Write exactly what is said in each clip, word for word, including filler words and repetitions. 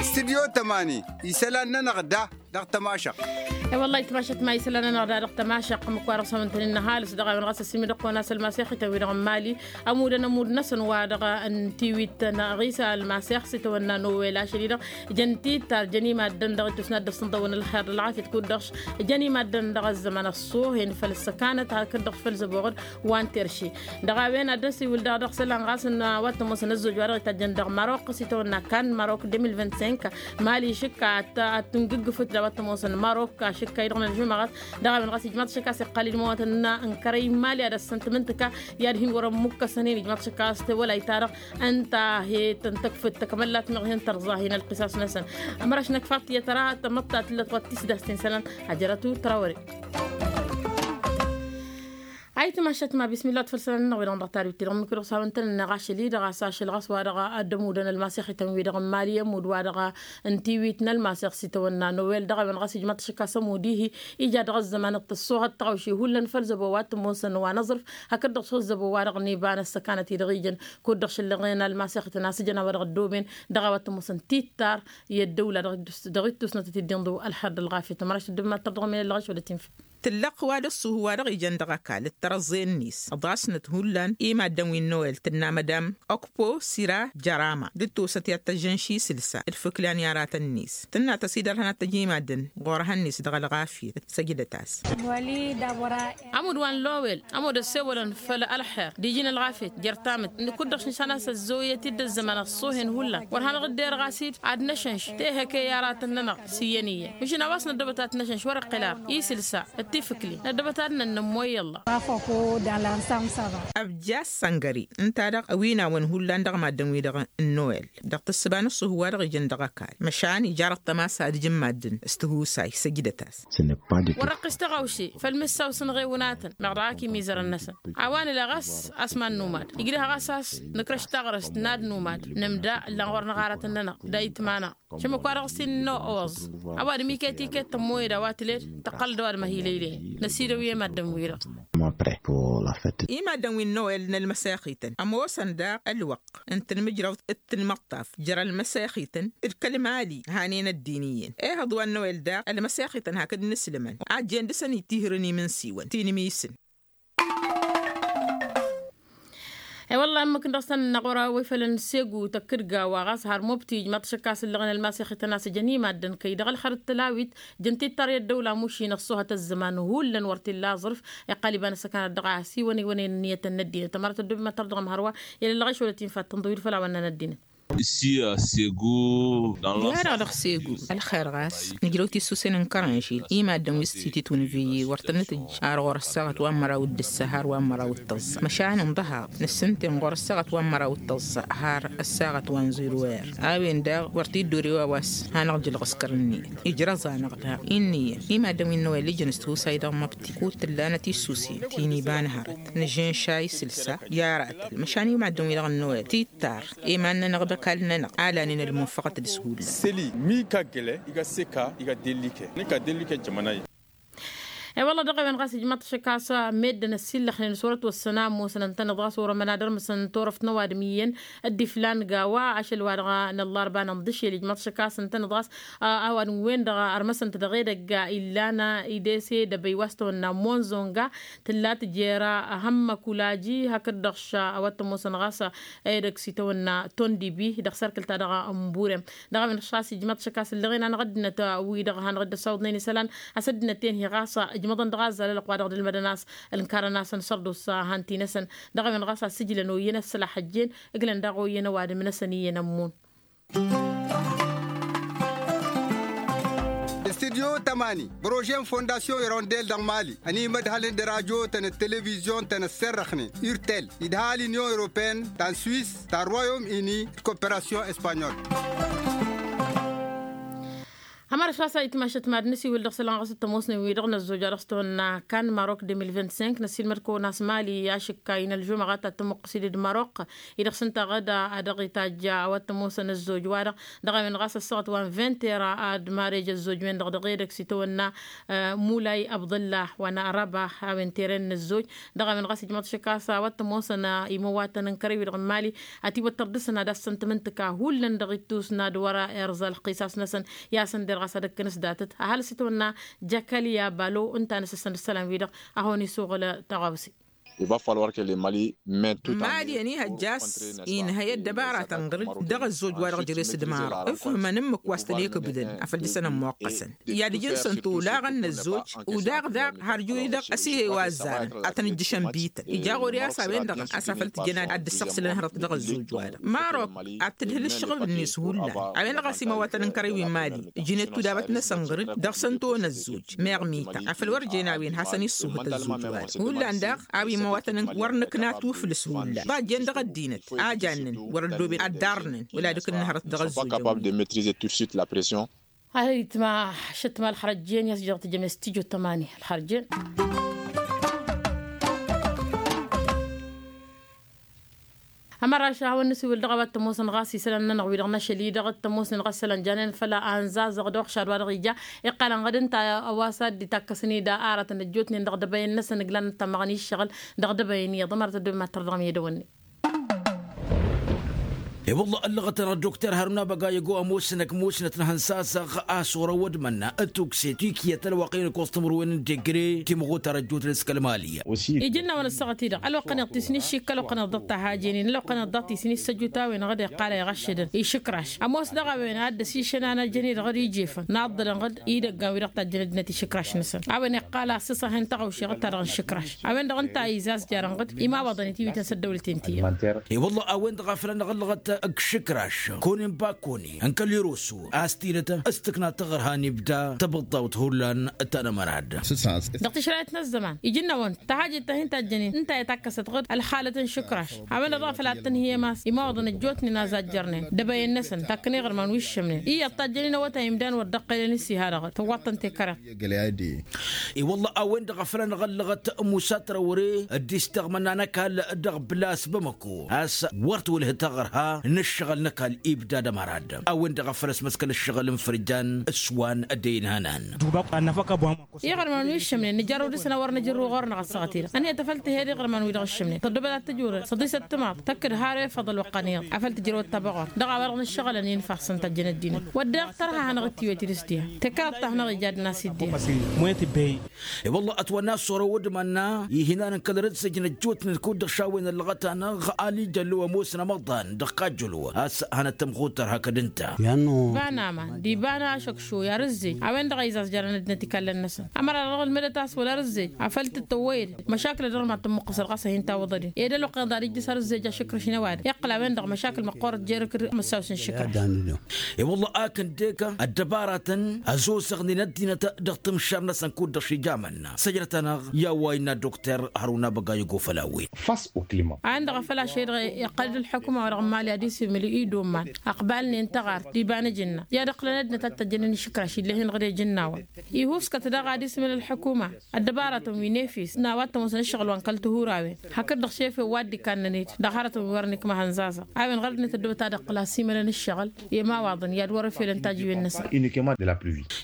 Stidyo tămani isălan-nănăɣ da dăɣ-tămašăɣt. I-wălla-hi tămašăɣt ma isălan-nănăɣ da dăɣ-tămašăɣt ǝmmǝk-wa-dăɣ s-amǝntănen n-ăhalǝs dăɣ-a-wen ɣas ăsimǝdăɣ-kăwăn-as ălmasex itawwi-dăɣ n-mali. Ămudăn ămudd-năsăn wa dăɣ-n tiwit n-aɣisa ălmasex s-itawănna nowel ašăl-i-dăɣ. Jăn titar jăn imaddăn dăɣ-ittus n-ad-dăɣ-săn dăɣ-wăn ălxer d-ălɣafyăt kud-dăɣ. Jăn imaddăn dăɣ-ăzzăman ăṣṣuhen făll-ăssăkanăt hakd-dăɣ făll-zăboɣăd wa n-terše. Dăɣ-a-wen ad-dăɣ-s iwǝl daɣ dăɣ-isălan ɣas n-wa t-ămoosăn ăzzoj wa dăɣ-itajjăn dăɣ-marok s-itawănna kan marok deux mille vingt-cinq. Mali išǝkka ad-tǝngǝggǝfǝt d-a-wa t-ămoosăn marok ašǝkka-i-dăɣ n-ălžumăɣăt. Dăɣ-a-wen ɣas ijmaḍ ašăk a-s iqqal ilmăwătăn n-kărăy n-mali ad-ăssăn tǝmǝntǝka i-ad-hin-wăr-ămmukkăsăn-in ijmaḍ ašăk a-s tewălayt-ta-dăɣ. Ǝnta a he-tăn-tăkfǝd tăkmăllat meɣ hin-tărẓa hin-ălqisas-năsăn. Ămăraš năkfa tiyyăt ăra tămăḍta tǝllăt wa t-tisdast-in isălan. Ajărăt u-trawăre. Ayǝtmašat ma bismillah tfăl isălan-nănăɣ wi-dăɣ n-dăɣ tadwit-ti-dăɣ ǝmmǝk-i-dăɣ s-hawăn-tăn-ănneɣ ašăl-i-dăɣ a-s ašăl ɣas wa dăɣ-ăddămudăn ălmasex-ităn-wi-dăɣ n-mali ămudd wa dăɣ-n tiwit n-ălmasex s-itawănna nowel dăɣ-a-wen ɣas ijmaḍ ašăk a-s ămudd-ihi ija dăɣ-ăzzăman d-tăṣṣuhăt tăɣawše hullan făll-zăbo wa t-ămoosăn wa n-aẓrǝf. Hakd-dăɣ s-ăzzăbo wa dăɣ-niba n-ăssăkanăt-i-dăɣ ijăn kud-dăɣ šăllăɣen ălmasex-ităn a-s ijăn a-wa dăɣ-ăddooben dăɣ-a-wa t-ămoosăn tittar i-ăddăwla dăɣ-ittusnătăt-dd inḍǝw ălxer d-ălɣafyăt ămăraš dd-mad-tărdăɣ ămăyăn ăllăɣăš wăla tinfǝt. Tǝllăɣ wa d-ăṣṣuhu wa dăɣ-ijăn dăɣ-ăkall d-tărăẓẓe-net ăḍasnăt hullan imaddăn wi n-noel tǝnna madam okpo sira jărama dd-tosăt i-ad-tăjjăn šisǝlsa d-fǝklan i-aratăn-net tǝnna tăsidărhăn ad-tăj imaddăn ɣur-ehăn-net dăɣ-ălɣafyăt. Săjdăt-as. Ămudd wa n-lowel ămudd ăssewălăn făll-ălxer d-iji n-ălɣafyăt jer-tamǝt. Kud-dăɣ šǝnšan a-s ăzzooyăt-dd ăzzăman ăṣṣuhen hullan wăr hanăɣ-dd-erɣ a-s-dd ad-năšănš tehăke i-aratăn-nănăɣ s-iyyăn iyyăn mǝšǝn a-wa s-năddăbăt ad-t-năšănš wăr-iqqǝl ara isǝlsa d-tifǝkli năddăbăt ad-nănnămmăy i-ălla. Ăbja săngări ǝnta-dăɣ ăwinawăn hullan dăɣ-maddǝn-wi-dăɣ n-noel dăɣ-tǝssǝba n-ăṣṣuhu wa dăɣ-ijăn dăɣ-ăkall măšan ija dăɣ-tămasa ad-ǝjǝn maddǝn s-tihusay săjdăt-as. Wăr-ăqqis taɣawše făll-mǝssaw s-ănɣewǝnatăn meɣ dăɣ-ak imizărăn-năsăn a-wa nǝla ɣas a-s mad-numad ijrǝh ɣas a-s nǝkrăš taɣrǝst n-ad-numad nǝmda ǝllan ɣur-năɣ aratăn-nănăɣ d-ayǝtma-năɣ. Šămăk-wa-dăɣ s-innă oẓ ăwadǝm iket-iket tămmoyăd a-wa tǝled tăqqăl-dd ăwadǝm ăhilăylăyăn. Năsidăw i-maddǝn-wi-dăɣ. Imaddǝn wi n-noel n-ălmăsexităn ămoosăn daɣ ălwăqq n-tǝnmǝjrăwt d-tǝnmăṭṭaf jer-ălmăsexităn d-kăl-mali hanen ăddin iyyăn. Ehăḍ wa n-noel daɣ ălmăsexităn hakd n-inǝslǝmăn ajjen dăr-săn itihǝrăn imǝnsiwăn tinǝmisǝn. E-wălla ǝmmǝk n-dăɣ-săn ănɣur a-wa ifălăn segu tăkkǝdga wa ɣas har mobti ijmaḍ-t ašăk a-s ǝllăɣăn ălmasexităn a-s ǝjăn i-maddǝn kăy-dăɣ ălxer d-tălawit. Jăn tittar i-ăddăwla mušin ăṣṣuhăt ăzzăman hullan wăr t-illa aẓrǝf. Iqqal iba n-ăssăkanăt dăɣ-a-s iwănewănen ǝnniyăt n-ăddinăt ămărat ăddob i-mad-tărdăɣăm hărwa. I-ad-ăllăɣ išwălăt infattăn ḍǝwil făll-a-wănnan ăddinăt. Isi a segu. Diha-dăɣ dăɣ-segu ălxer ɣas nǝjrăw tisusen n-kărănžil i-maddǝn wi s-tititwǝnviyi wăr tăn-nǝtǝjj ar ɣur-ăssaɣăt wa n-măraw d-ǝssa har wa n-măraw d-tăẓẓa măšan ǝnḍăhaḍ nǝssǝnten ɣur-ăssaɣăt wa n-măraw d-tăẓẓa har ăssaɣăt wa n-zero er. A-wen daɣ wăr t-dd-ore wa wa s-hanăɣ-jǝlɣǝskăr ǝnniyăt ijrăẓ-anăɣ daɣ. Inn'-iyyăn i-maddǝn wi n-nowel ijăn s-tihusay dăɣ-măbti kud tǝllanăt issusen ti n-iba n-hărăt nǝžžǝnša isǝlsa i-aratăl măšan i-maddǝn wi-dăɣ n-nowel tittar. Iman-nănăɣ d-ăkall-nănăɣ a lanen ălmunfăɣăt d-shulla. Săli mi ika gǝle iga seka iga dellike nǝka dellike jămănay. E-wălla dăɣ-a-wen ɣas ijmaḍ-t ašăk a-s meddǝn ăssillăxnen s-wăr-ătwăssăn a ămoosăn ǝntăneḍ ɣas wăr-ămăna dăr-mǝsăn turăft n-ăwadǝm iyyăn. D-iflan gawa ašăl wa dăɣ-năllarba n-inḍǝšel ijmaḍ-t ašăk a-s ǝntăneḍ ɣas a-wadǝm-wen-dăɣ ărmăsăn-t dăɣ-edăgg illan idese d-ebăy wa s-tăwănna monzonga. Tǝlla tǝjer ahămmăk ulaji hakd-dăɣ ša a-wa t-ămoosăn ɣas edăgg s-itawănna tondibi dăɣ-sărkǝl-ta-dăɣ n-burem. Dăɣ-a-wen ɣas ijmaḍ-t ašăk a-s ǝllăɣen-anăɣ ăddinăt wi-dăɣ hanăɣ-dd-ăssawăḍnen isălan a-s ăddinăt-en hi-ɣas ijmăḍăn dăɣ-azzal ălăqq wa dăɣ-dd-ǝlmădăn a-s ǝnkarăn-asăn sărdusa han-ti-năsăn. Dăɣ-a-wen ɣas a-s ǝjlăn oyyăn ăssălaḥ ăjjeen ǝglăn daɣ oyyăn ăwadǝm-năsăn iyyăn ămmun. Studyo tămani prože n-fondasyon irondel dăɣ-mali ănimădhălăn d-radyo-tăn d-televizyon-tăn ăsserrăxnen urtel idha l-inyon europeyăn ta n-swis ta n-royom ini d-koperasyon espanyol. Ămărăš ɣas a itmašăt mad-nǝsiwǝl dăɣ-isălan ɣas t-ămoosnen wi-dăɣ n-ăzzoj a dăɣ-s tihănna kan marok deux mille vingt-cinq năssiilmăd-kăwăn a-s mali i-ašǝkka inălžumăɣ a ta t-tămmuqqǝs-dd marok-i dăɣ-s ǝnta ɣǝd a dăɣ-itajj a-wa t-ămoosăn ăzzoj-wa-dăɣ. Dăɣ-a-wen ɣas ăssaɣăt wa n-vingt heures ad-marej ăzzoj-wen-dăɣ dăɣ-edăgg s-itawănna mulay abdăllah wa n-araba a-wen tere n-ăzzoj. Dăɣ-a-wen ɣas ijmăḍ šik a-s a-wa t-ămoosăn imăwatăn n-kărăy-wi-dăɣ n-mali ătiwăttăr dăr-săn ad-assăn tǝmǝntǝka hullan dăɣ-ittus n-ad-wăr-irẓa ălqisas-năsăn. I-ad-săn der ɣas ad-ǝkkǝn s-datăt ăhalǝs itawănna jakaliya balo ǝnta a nǝssăsăn d-isălan-wi-dăɣ a hawăn-isuɣǝl tăɣawse. Iba falwărke le mali. Mali ănihăjja a-s inhăy ăddăbaratăn ɣǝr-dd dăɣ-ăzzoj wa-dăɣ jere-s d-marăɣ ǝfhǝmăn ǝmmǝk wa s-tăn-ikǝbdăn afăl dăɣ-săn ămmoqqăsăn. I-ad-ǝjǝn săn tolaɣăn n-ăzzoj udaɣ daɣ har juri-dăɣ ăsihăy wa ăzzarăn ad-tăn-ǝjjǝšăn bităn ija ɣur-i a-s a-wen-dăɣ a-s afăl tǝjjăn ad-dd-ǝssăɣsǝlăn hărăt dăɣ-ăzzoj-wa-dăɣ marok ad-tǝdhǝl ǝššăɣǝb-net hullan. A-wen-dăɣ a-s imawatăn n-kărăy wi n-mali ǝjǝn-dd tudabăt-năsăn ɣǝr-dd dăɣ-săn tăwăn ăzzoj meɣ mita afăl wăr jen a-wen hasăn-issuhǝt ăzzoj-wa-dăɣ hullan daɣ a-wi imawatăn wăr nǝkna tuflǝs hullan ḍajjen dăɣ-ăddinăt a jannen wăr-ăddooben ad-ḍarnen wăla d-ǝkǝnnǝn hărăt dăɣ-ăzzoj. Capable de metrize tussit la pression. Ayǝtma ašăt ma ălxărăjjen i-a-s jăɣ tǝjjăme s-tijot tămani ălxărăjjen. Ămăraš a hawăn-nǝsiwǝl dăɣ-a-wa t-ămoosăn ɣas isălan-nănăɣ wi-dăɣ n-ašăl-i-dăɣ t-ămoosnen ɣas isălan janen făll-a ănzazăɣ d-uxšad wa dăɣ-ija iqqălăn ɣǝd ǝnta a-wa s-ad-dd-itakkăsăn-dd arătăn ăjjootnen dăɣ-dăbăyăn-năsăn ǝglan n-tămmăɣăn i-ǝššăɣǝl. Dăɣ-dăbăyăn iyyăḍ ămărăt ăddoben ma t-tărdăɣăm i-edăwănne. E-wălla ăllăɣăt-anăɣ dokter harun abăga i-ăgg-o ămoosnăk musnăt n-hănsasăɣ a-s wăr-ăwwăd mănna ătukse tikyăt ălwăqq-i n-ăkkoẓ timǝrwen n-degre timɣutar ăjjootnen s-kăl-mali. Ija ǝnnawăn ăssaɣăt-i-dăɣ ălwăqq-anăɣ tisni ǝššikkăl ălwăqq-anăɣ ḍăɣ-tahajenen ălwăqq-anăɣ ḍăɣ-tisni s-ăjut a-wen-dăɣ dd-iqqal a iɣăššădăn išǝkraš ămoos daɣ a-wen a dd-ăsišăn anăjăn-i-dăɣ d-ijefăn naḍḍălăn ɣǝd idăggan wi-dăɣ tajjăn ăddinăt išǝkraš-năsăn. A-wen iqqal a ăssisăhen taɣăwše ɣǝd-ta-dăɣ n-išǝkraš a-wen-dăɣ ǝnta a izazjarăn ɣǝd imawăḍăn-it iwităn s-ăddăwlăten ti-dăɣ. I-wălla a-wen-dăɣ a făl anăɣ-ăllăɣăt ǝkšǝkraš kăwăn-in bakăwăn-i n-kăl-iroso a-s tidăt s-tǝkna taɣărha n-ibda tăbǝḍḍawt hullan ta n-amărad. Dăɣ-tišrayăt n-ăzzăman ija-năwăn tahajit ta hin-tajjănen ǝnta i-takkăsăt ɣǝd ălxalăt n-išǝkraš. A-wen-dăɣ dăɣ-a făl ad-tǝnhǝyăm a-s imawăḍăn ăjjootnen a zajarnen dăbăyăn-năsăn takkăn iɣărman wi ǝššămnen iyyăḍ tajjănen awătay imdan wăr dd-ăqqălăn ǝssi hadăɣ tăwwaḍ-tăn tekăreḍt. I-wălla a-wen-dăɣ a făl anăɣ-ăllăɣăt musa tărăwre dd-isteɣmănna n-ăkall dăɣ-blas bamăko a-s wăr t-wălhǝt aɣărha n-ǝššăɣǝl n-ăkall ibda d-ămărad. A-wen-dăɣ a făl ăsmăskăl ǝššăɣǝl n-fărjan s-wa n-ăddăy n-ihănan. Iɣărman wi ǝššămnen nǝjărrăw dăɣ-săn a wăr nǝjǝrru ɣur-năɣ ăssaɣăt-i-dăɣ ănhăyăt afăl tǝhed iɣărman-wi-dăɣ ǝššămnen tăddobăd ad-tǝjurăd săḍisăt timaḍ tăkk-dd har efăḍ ălwăqq-anăyăḍ afăl tǝjrăwăd tabăɣort dăɣ-a-wa-dăɣ nǝššăɣǝlăn i-nǝfassăn tăjjăn ăddinăt wădden tărha hanăɣ-dd-tiwăt idǝs diha tekăraḍt ta hanăɣ-ija ad-năs-dd diha. I-wălla ătwănna s-orăwăd mănna ihinan n-kăl-răzzăj n-ăjjootnen kud-dăɣ šawen ăllăɣăt-anăɣ ali jăllo ămoosăn amăḍan dăɣ-kajjălo a-s hanăt-tămxutăr hakd ǝnta. Iba n-aman d-iba n-ašăkšoy arǝzzej a-wen-dăɣ a izazjărăn ăddinăt ikallăn-năsăn ămăra dăɣ-ălmǝdăt a-s wăla arǝzzej afăl tǝttăwwăyăd măšakǝl-dd dăɣ-ma t-tămmuqqǝsăd ɣas a hin-tawǝḍăden ed ălwăqq-inăḍ ad-ijjǝs arǝzzej ašǝkrăš-in ăwadǝm iqqăl a-wen-dăɣ măšakǝl măqqoorăt jer-akǝr măssawsăn išǝkrăš. I-wălla a kăn-deka ăddăbaratăn ăzozăɣnen ăddinăt dăɣ-tǝmšar-năsăn kud-dăɣ šija mănna săjdăt-anăɣ i-a-wa innă dokter hăruna băgayăgo făll-a-wen. A-wen-dăɣ a făl ašăl-i-dăɣ iqqăl-dd ălḥukuma wa dăɣ-n mali ad-isǝmǝl i-dd-umman ăqbal-nen taɣart d-iba n-ajǝnna i-ad-ǝqqǝlăn ăddinăt ad-t-ăjjănen išǝkraš ill'-e-hin ɣǝd ejǝnnawen. Ihus kăt-dăɣ ad-isǝmǝl ălḥukuma ăddăbaratăn wi n-efes n-a-wa t-ămoosăn ǝššăɣǝl wa n-kăl-tihurawen hakd-dăɣ šefe wa dd-ikannăn-dd dăɣ-hărătăn wi wăren ikmăhăn zazaɣ. A-wen ɣărăt-net ăddoobăt ad-ǝqqǝl asiimălăn ǝššăɣǝl i-imawaḍăn i-ad-wăr-ăfelăn tajǝwen-năsăn.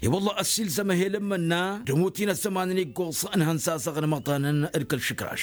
I-wălla ăssiilzăm ehel n-imǝnna d-ămutin ăzzăman n-iggoẓ n-ihănzazăɣ n-imăḍanăn d-kăl-išǝkraš.